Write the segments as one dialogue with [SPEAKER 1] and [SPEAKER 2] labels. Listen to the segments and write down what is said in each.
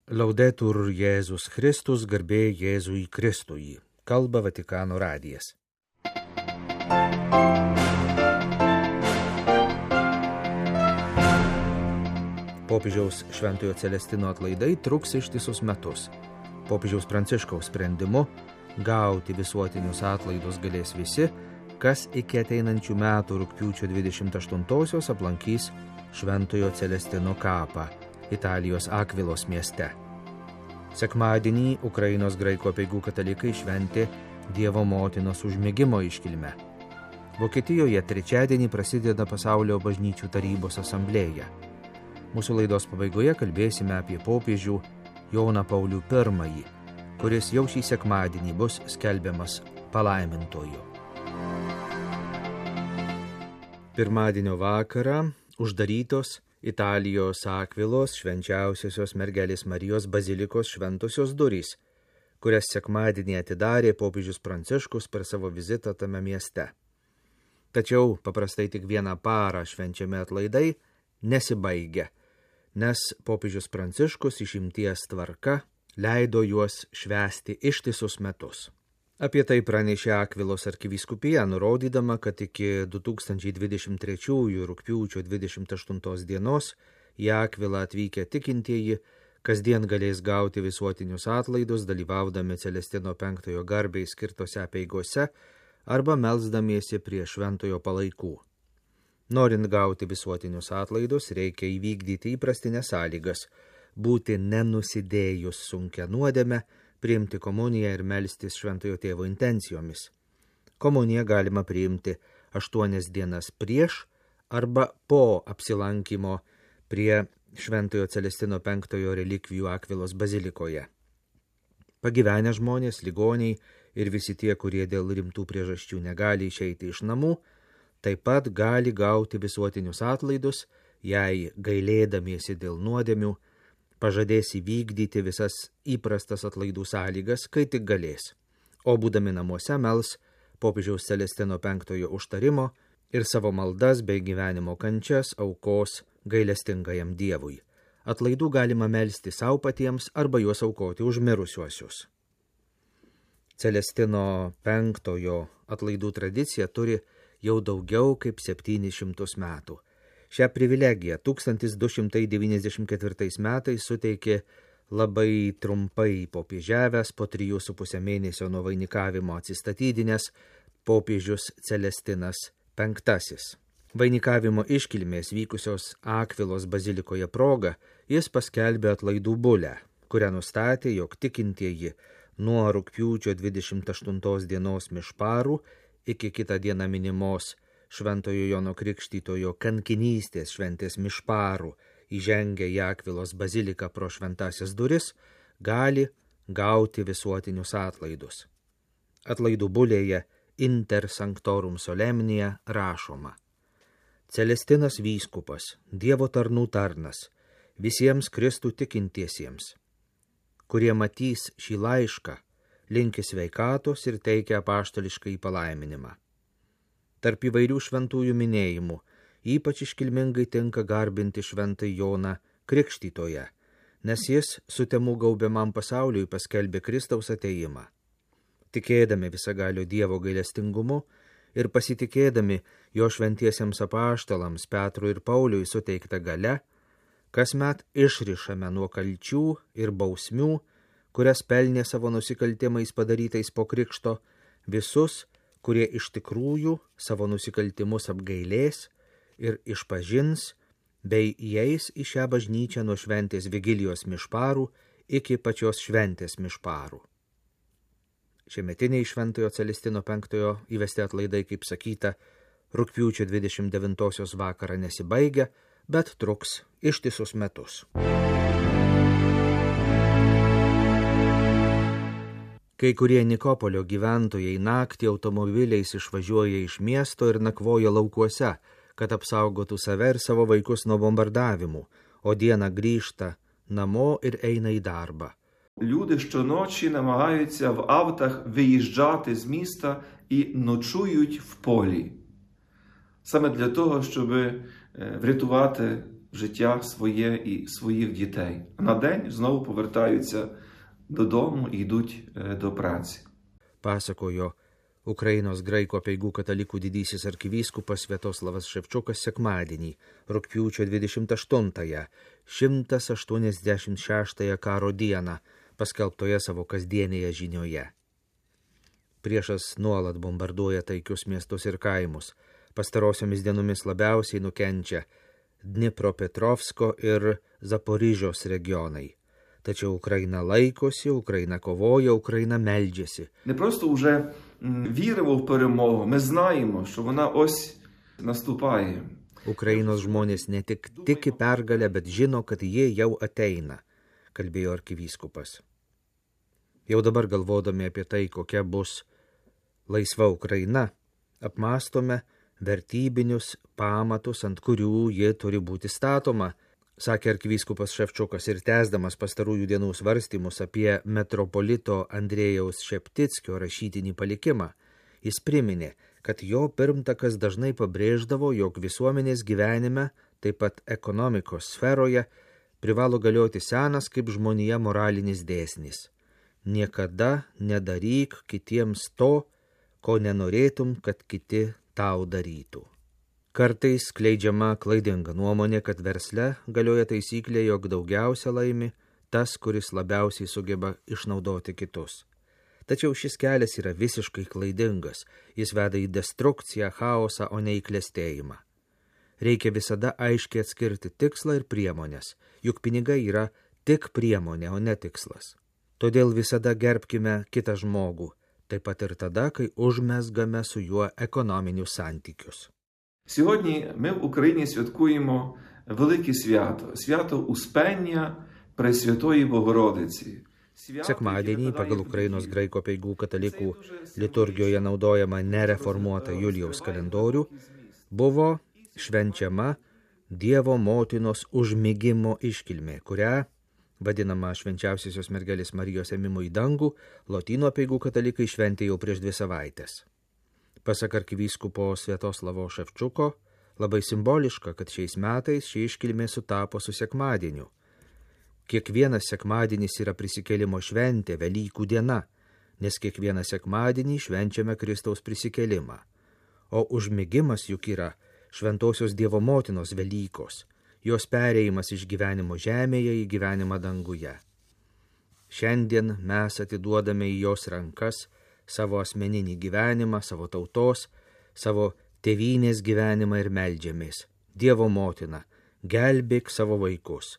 [SPEAKER 1] Laudetur Jėzus Kristus, garbė Jėzui Kristui. Kalba Vatikano radijas. Popiežiaus Šventojo Celestino atlaidai truks ištisus metus. Popiežiaus Pranciškaus sprendimu gauti visuotinius atlaidus galės visi, kas iki ateinančių metų rugpjūčio 28-osios aplankys Šventojo Celestino kapą Italijos Akvilos mieste. Sekmadienį Ukrainos graikų apeigų katalikai šventė Dievo motinos užmigimo iškilmę. Vokietijoje trečiadienį prasideda Pasaulio bažnyčių tarybos asamblėja. Mūsų laidos pabaigoje kalbėsime apie popiežių Joną Paulių I, kuris jau šį sekmadienį bus skelbiamas palaimintuoju. Pirmadienio vakarą uždarytos Italijos Akvilos švenčiausiosios mergelės Marijos bazilikos šventosios durys, kurias sekmadienį atidarė popiežius Pranciškus per savo vizitą tame mieste. Tačiau paprastai tik vieną parą švenčiami atlaidai nesibaigia, nes popiežius Pranciškus išimties tvarka leido juos švęsti ištisus metus. Apie tai pranešė Akvilos arkivyskupija, nurodydama, kad iki 2023 rugpjūčio 28 dienos į Akvilą atvykę tikintieji kasdien galės gauti visuotinius atlaidus, dalyvaudami Celestino V garbei skirtose apeigose arba melsdamiesi prie šventojo palaikų. Norint gauti visuotinius atlaidus, reikia įvykdyti įprastinės sąlygas, būti nenusidėjus sunkia nuodėme, priimti komuniją ir melstis šventojo tėvo intencijomis. Komuniją galima priimti 8 dienas prieš arba po apsilankymo prie šventojo Celestino V relikvijų Akvilos bazilikoje. Pagyvenę žmonės, ligoniai ir visi tie, kurie dėl rimtų priežasčių negali išeiti iš namų, taip pat gali gauti visuotinius atlaidus, jei gailėdamiesi dėl nuodėmių pažadės įvykdyti visas įprastas atlaidų sąlygas, kai tik galės, o būdami namuose mels popiežiaus Celestino V užtarimo ir savo maldas bei gyvenimo kančias aukos gailestingajam Dievui. Atlaidų galima melsti savo patiems arba juos aukoti už mirusiuosius. Celestino V atlaidų tradicija turi jau daugiau kaip 700 metų. Šią privilegiją 1294 metais suteikė labai trumpai popiežiavęs po 3,5 mėnesio nuo vainikavimo atsistatydinęs popiežius Celestinas V. Vainikavimo iškilmės vykusios Akvilos bazilikoje proga jis paskelbė atlaidų bulę, kurią nustatė, jog tikintieji nuo rugpjūčio 28 dienos mišparų iki kitą dieną minimos Šventojo Jono Krikštytojo kankinystės šventės mišparų įžengę į Akvilos baziliką pro šventasias duris, gali gauti visuotinius atlaidus. Atlaidų bulėje Inter Sanctorum Solemnia rašoma: Celestinas vyskupas, Dievo tarnų tarnas, visiems Kristų tikintiesiems, kurie matys šį laišką, linki sveikatos ir teikia apaštališką palaiminimą. Tarp įvairių šventųjų minėjimų ypač iškilmingai tinka garbinti šventąjį Joną Krikštytoją, nes jis sutemų gaubiamam pasauliui paskelbė Kristaus atėjimą. Tikėdami visagalio Dievo gailestingumu ir pasitikėdami jo šventiesiems apaštalams Petrui ir Pauliui suteikta galia, kasmet išrišame nuo kalčių ir bausmių, kurias pelnė savo nusikaltimais padarytais po krikšto, visus, kurie iš tikrųjų savo nusikaltimus apgailės ir išpažins, bei įeis į šią bažnyčią nuo šventės Vigilijos mišparų iki pačios šventės mišparų. Šiemetiniai Šventojo Celestino V įvesti atlaidai, kaip sakyta, rugpjūčio 29 vakarą nesibaigia, bet truks ištisus metus. Kai kurie Nikopolio gyventojai naktį automobiliais išvažiuoja iš miesto ir nakvoja laukuose, kad apsaugotų save ir savo vaikus nuo bombardavimų, o dieną grįžta namo ir eina į darbą.
[SPEAKER 2] Люди щоночі намагаються в автах виїжджати з міста і ночують в полі. Саме для того, щоб врятувати життя своє і своїх дітей. На день знову повертаються додому і йдуть до праці.
[SPEAKER 1] Pasakojo Ukrainos graikų apeigų katalikų didysis arkivyskupas Sviatoslavas Ševčiukas sekmadienį, rugpjūčio 28-ąją, 186-ąją karo dieną, paskelbtoje savo kasdienėje žinioje. Priešas nuolat bombarduoja taikius miestus ir kaimus. Pastarosiomis dienomis labiausiai nukenčia Dnipropetrovsko ir Zaporižios regionai. Tačiau Ukraina laikosi, Ukraina kovoja, Ukraina meldžiasi.
[SPEAKER 2] Не просто вже віримо в перемогу, ми знаємо, що вона ось наступає.
[SPEAKER 1] Ukrainos žmonės ne tik tiki pergalę, bet žino, kad jie jau ateina, kalbėjo arkivyskupas. Jau dabar galvodami apie tai, kokia bus laisva Ukraina, apmastome vertybinius pamatus, ant kurių ji turi būti statoma, sakė arkivyskupas Ševčiukas ir tęsdamas pastarųjų dienų svarstymus apie metropolito Andrėjaus Šeptickio rašytinį palikimą. Jis priminė, kad jo pirmtakas dažnai pabrėždavo, jog visuomenės gyvenime, taip pat ekonomikos sferoje, privalo galioti senas kaip žmonija moralinis dėsnis. Niekada nedaryk kitiems to, ko nenorėtum, kad kiti tau darytų. Kartais skleidžiama klaidinga nuomonė, kad versle galioja taisyklė, jog daugiausia laimi tas, kuris labiausiai sugeba išnaudoti kitus. Tačiau šis kelias yra visiškai klaidingas, jis veda į destrukciją, chaosą, o ne į klestėjimą. Reikia visada aiškiai atskirti tikslą ir priemonės, juk pinigai yra tik priemonė, o ne tikslas. Todėl visada gerbkime kitą žmogų, taip pat ir tada, kai užmezgame su juo ekonominius santykius.
[SPEAKER 2] Сьогодні ми в Україні святкуємо велике свято – свято Успення Пресвятої Богородиці.
[SPEAKER 1] Sekmadienį pagal Ukrainos graikų apeigų katalikų liturgijoje naudojama nereformuota Julijaus kalendorių buvo švenčiama Dievo motinos užmigimo iškilmė, kurią vadinama švenčiausiosios mergelės Marijos ėmimu į dangų, lotynų apeigų katalikai šventė jau prieš 2 savaites. Pasak arkivyskupo Sviatoslavo Ševčiuko, labai simboliška, kad šiais metais ši iškilmė sutapo su sekmadieniu. Kiekvienas sekmadienis yra prisikėlimo šventė, Velykų diena, nes kiekvieną sekmadienį švenčiame Kristaus prisikėlimą. O užmigimas juk yra šventosios Dievo motinos Velykos, jos perėjimas iš gyvenimo žemėje į gyvenimą danguje. Šiandien mes atiduodame į jos rankas savo asmeninį gyvenimą, savo tautos, savo tėvynės gyvenimą ir meldžiamės. Dievo motina, gelbėk savo vaikus.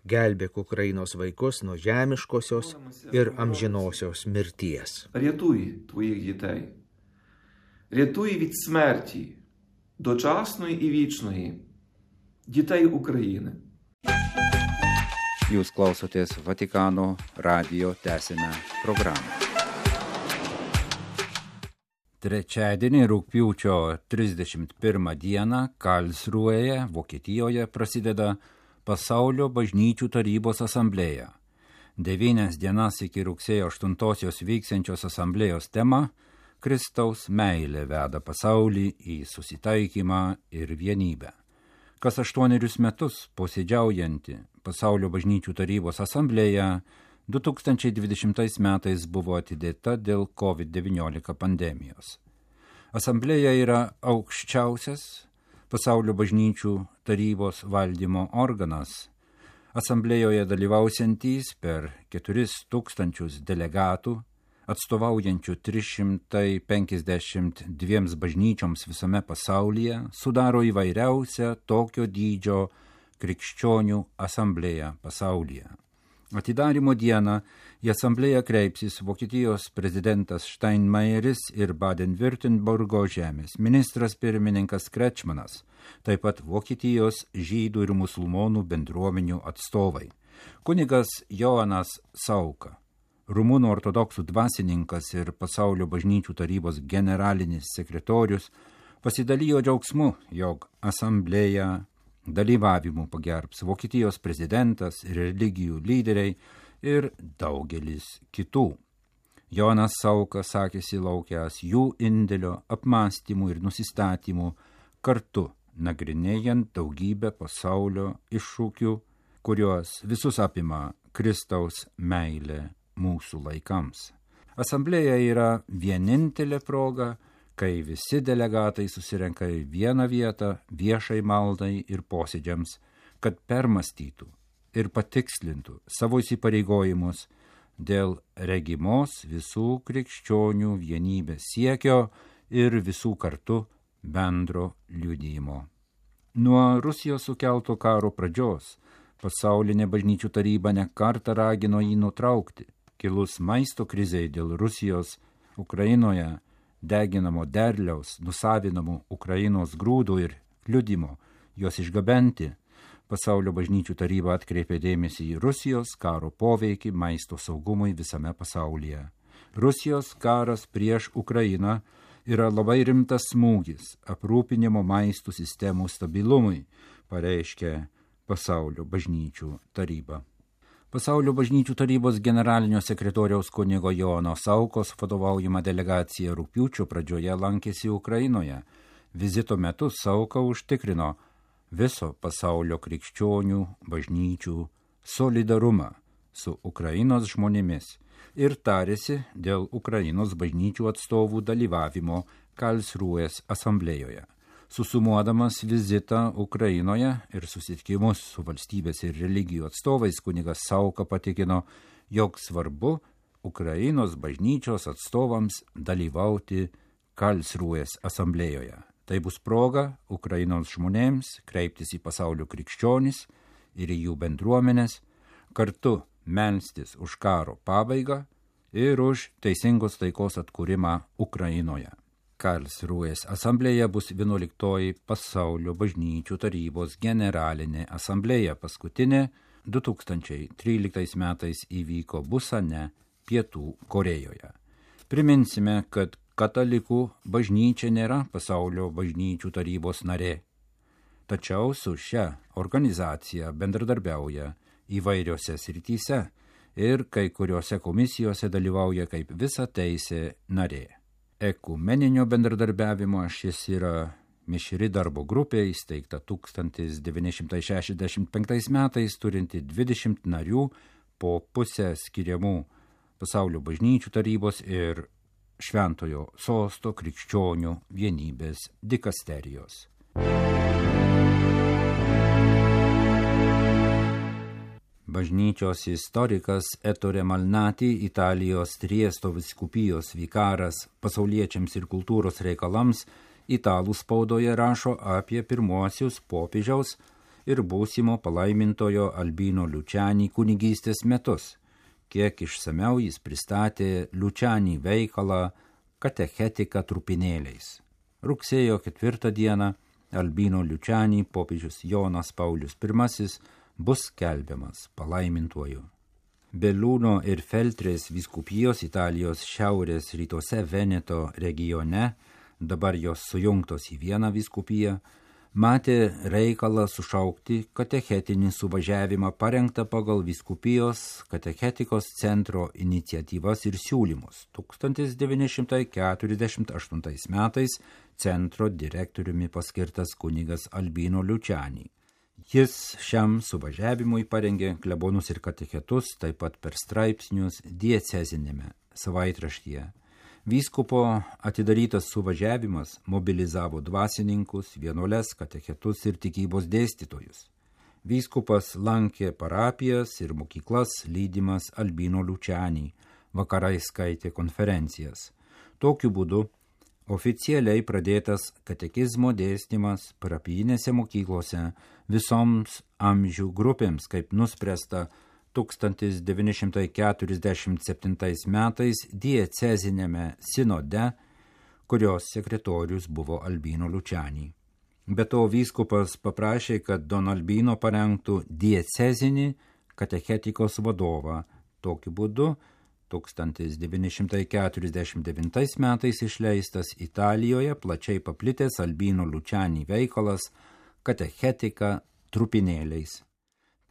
[SPEAKER 1] Gelbėk Ukrainos vaikus nuo žemiškosios ir amžinosios mirties.
[SPEAKER 2] Рятуй твоїх дітей. Рятуй від смерті, дочасної і вічної, дітей України.
[SPEAKER 3] Jūs klausotės Vatikano radijo tęsinę programą. Trečiadienį rugpjūčio 31 dieną Karlsruhėje, Vokietijoje prasideda Pasaulio bažnyčių tarybos asamblėja. 9 dienas iki rugsėjo 8 vyksiančios asamblėjos tema Kristaus meilė veda pasaulį į susitaikymą ir vienybę. Kas 8 metus posėdžiaujanti Pasaulio bažnyčių tarybos asamblėja 2020 metais buvo atidėta dėl COVID-19 pandemijos. Asamblėja yra aukščiausias Pasaulio bažnyčių tarybos valdymo organas. Asamblėjoje dalyvausiantys per 4000 delegatų, atstovaujančių 352 bažnyčioms visame pasaulyje, sudaro įvairiausią tokio dydžio krikščionių asamblėją pasaulyje. Atidarymo dieną į asamblėją kreipsis Vokietijos prezidentas Steinmeieris ir Baden-Württembergo žemės ministras pirmininkas Kretschmanas, taip pat Vokietijos žydų ir musulmonų bendruomenių atstovai. Kunigas Joanas Sauka, Rumunų ortodoksų dvasininkas ir Pasaulio bažnyčių tarybos generalinis sekretorius, pasidalijo džiaugsmu, jog asamblėja dalyvavimu pagerbs Vokietijos prezidentas, religijų lyderiai ir daugelis kitų. Jonas Sauka sakėsi laukęs jų indėlio, apmąstymų ir nusistatymų kartu nagrinėjant daugybę pasaulio iššūkių, kuriuos visus apima Kristaus meilė mūsų laikams. Asamblėja yra vienintelė proga, kai visi delegatai susirenka į vieną vietą viešai maldai ir posėdžiams, kad permąstytų ir patikslintų savo įsipareigojimus dėl regimos visų krikščionių vienybės siekio ir visų kartu bendro liudijimo. Nuo Rusijos sukelto karo pradžios pasaulinė bažnyčių taryba ne kartą ragino jį nutraukti. Kilus maisto krizei dėl Rusijos Ukrainoje deginamo derliaus, nusavinamų Ukrainos grūdų ir kliudimo juos išgabenti, pasaulio bažnyčių taryba atkreipė dėmesį į Rusijos karo poveikį maisto saugumui visame pasaulyje. Rusijos karas prieš Ukrainą yra labai rimtas smūgis aprūpinimo maistų sistemų stabilumui, pareiškė pasaulio bažnyčių taryba. Pasaulio bažnyčių tarybos generalinio sekretoriaus kunigo Jono Saukos vadovaujama delegacija rugpjūčio pradžioje lankėsi Ukrainoje. Vizito metu Sauka užtikrino viso pasaulio krikščionių bažnyčių solidarumą su Ukrainos žmonėmis ir tarėsi dėl Ukrainos bažnyčių atstovų dalyvavimo Karlsrūės asamblėjoje. Susumuodamas vizitą Ukrainoje ir susitikimus su valstybės ir religijų atstovais, kunigas Sauka patikino, jog svarbu Ukrainos bažnyčios atstovams dalyvauti Karlsrūės asamblėjoje. Tai bus proga Ukrainos žmonėms kreiptis į pasaulio krikščionis ir į jų bendruomenės, kartu melstis už karo pabaigą ir už teisingos taikos atkūrimą Ukrainoje. Karlsrūės asamblėje bus 11 pasaulio bažnyčių tarybos generalinė asamblėja. Paskutinė 2013 metais įvyko Busane, Pietų Korėjoje. Priminsime, kad katalikų bažnyčia nėra pasaulio bažnyčių tarybos narė. Tačiau su šia organizacija bendradarbiauja įvairiose srityse ir kai kuriuose komisijose dalyvauja kaip visateisė narė. Ekumeninio bendradarbiavimo šis yra mišri darbo grupė, įsteigta 1965 metais, turinti 20 narių po pusę skiriamų pasaulio bažnyčių tarybos ir Šventojo sosto krikščionių vienybės dikasterijos. Bažnyčios istorikas Ettore Malnati, Italijos Triesto vyskupijos vikaras pasauliečiams ir kultūros reikalams, italų spaudoje rašo apie pirmuosius popiežiaus ir būsimo palaimintojo Albino Luciani kunigystės metus. Kiek išsamiau jis pristatė Luciani veikalą Katechetika trupinėliais. Rugsėjo 4 dieną Albino Luciani popiežius Jonas Paulius I bus skelbiamas palaimintuoju. Belluno ir Feltrės vyskupijos Italijos šiaurės rytuose Veneto regione, dabar jos sujungtos į vieną vyskupiją, matė reikalą sušaukti katechetinį suvažiavimą parengtą pagal vyskupijos katechetikos centro iniciatyvas ir siūlymus. 1948 metais centro direktoriumi paskirtas kunigas Albino Luciani. Jis šiam suvažiavimui parengė klebonus ir katechetus, taip pat per straipsnius diecezinėme savaitraštyje. Vyskupo atidarytas suvažiavimas mobilizavo dvasininkus, vienuoles, katechetus ir tikybos dėstytojus. Vyskupas lankė parapijas ir mokyklas, lydimas Albino Luciani, vakarais skaitė konferencijas. Tokiu būdu oficialiai pradėtas katekizmo dėstymas parapijinėse mokyklose visoms amžių grupėms, kaip nuspręsta 1947 metais diecezinėme sinode, kurios sekretorius buvo Albino Luciani. Be to vyskupas paprašė, kad Don Albino parengtų diecezinį katechetikos vadovą. Tokiu būdu 1949 metais išleistas Italijoje plačiai paplitęs Albino Luciani veikalas Katechetika trupinėliais.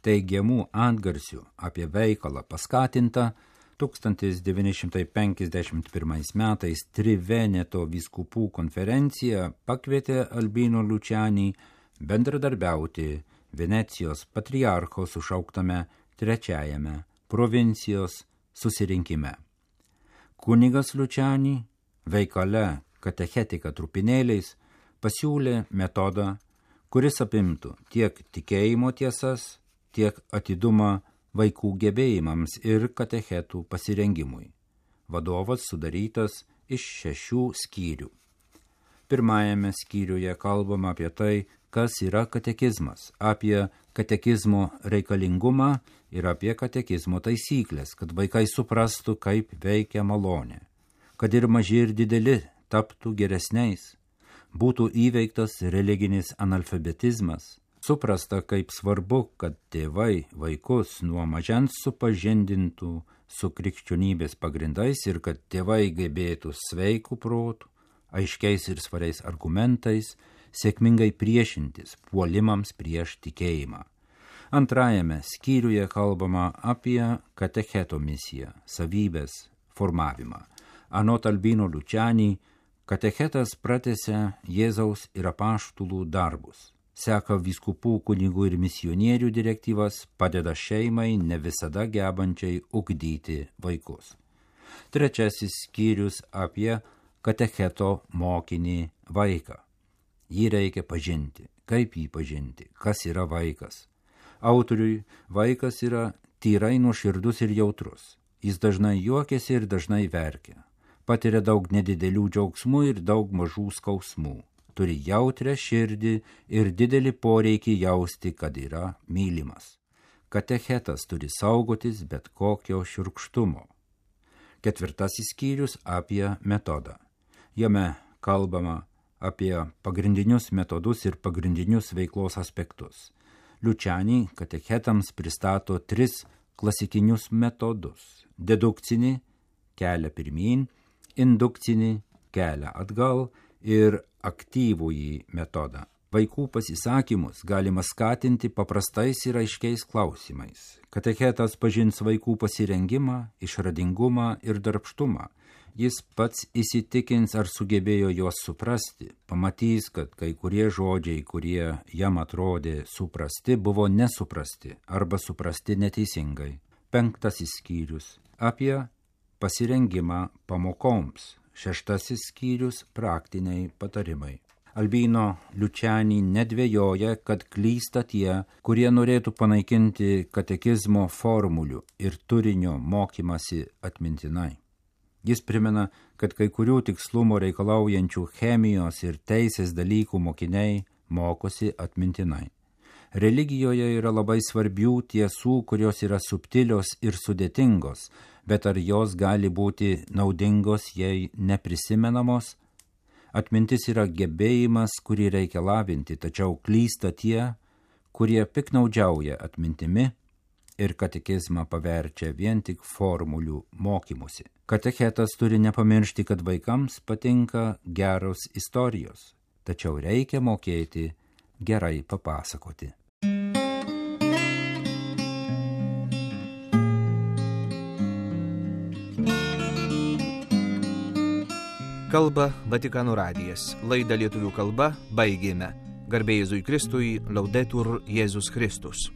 [SPEAKER 3] Teigiamų antgarsių apie veikalą paskatinta 1951 metais Triveneto vyskupų konferencija pakvietė Albino Lučianį bendradarbiauti Venecijos patriarcho sušauktame trečiajame provincijos susirinkime. Kunigas Lučianį veikale katechetika trupinėliais pasiūlė metodą, kuris apimtų tiek tikėjimo tiesas, tiek atidumą vaikų gebėjimams ir katechetų pasirengimui. Vadovas sudarytas iš 6 skyrių. Pirmajame skyriuje kalbama apie tai, kas yra katekizmas, apie katekizmo reikalingumą ir apie katekizmo taisyklės, kad vaikai suprastų, kaip veikia malonė, kad ir maži ir dideli taptų geresniais, būtų įveiktas religinis analfabetizmas, suprasta, kaip svarbu, kad tėvai vaikus nuo mažens supažindintų su krikščionybės pagrindais ir kad tėvai gebėtų sveikų protų, aiškiais ir svariais argumentais, sėkmingai priešintis puolimams prieš tikėjimą. Antrajame skyriuje kalbama apie katecheto misiją, savybės formavimą. Anot Albino Lučianį, katechetas pratęsia Jėzaus ir apaštalų darbus, seka vyskupų, kunigų ir misionierių direktyvas, padeda šeimai ne visada gebančiai ugdyti vaikus. Trečiasis skyrius apie katecheto mokinį vaiką. Jį reikia pažinti. Kaip jį pažinti? Kas yra vaikas? Autoriui vaikas yra tyrai nuoširdus ir jautrus. Jis dažnai juokiasi ir dažnai verkia. Patiria daug nedidelių džiaugsmų ir daug mažų skausmų. Turi jautrią širdį ir didelį poreikį jausti, kad yra mylimas. Katechetas turi saugotis bet kokio šiurkštumo. Ketvirtasis skyrius apie metodą. Jame kalbama apie pagrindinius metodus ir pagrindinius veiklos aspektus. Lučianį katechetams pristato 3 klasikinius metodus. Dedukcinį kelią pirmyn, indukcinį kelią atgal ir aktyvųjį metodą. Vaikų pasisakymus galima skatinti paprastais ir aiškiais klausimais. Katechetas pažins vaikų pasirengimą, išradingumą ir darbštumą. Jis pats įsitikins, ar sugebėjo juos suprasti, pamatys, kad kai kurie žodžiai, kurie jam atrodė suprasti, buvo nesuprasti arba suprasti neteisingai. 5 skyrius apie pasirengimą pamokoms. 6 skyrius praktiniai patarimai. Albino Lučianį nedvejoja, kad klysta tie, kurie norėtų panaikinti katekizmo formulių ir turinio mokymasi atmintinai. Jis primena, kad kai kurių tikslumo reikalaujančių chemijos ir teisės dalykų mokiniai mokosi atmintinai. Religijoje yra labai svarbių tiesų, kurios yra subtilios ir sudėtingos, bet ar jos gali būti naudingos, jei neprisimenamos? Atmintis yra gebėjimas, kurį reikia lavinti, tačiau klysta tie, kurie piknaudžiauja atmintimi ir katekizmą paverčia vien tik formulių mokymusi. Katechetas turi nepamiršti, kad vaikams patinka geros istorijos, tačiau reikia mokėti gerai papasakoti.
[SPEAKER 1] Kalba Vatikano radijas. Laidą lietuvių kalba baigėme. Garbė Jėzui Kristui, Laudetur Jėzus Kristus.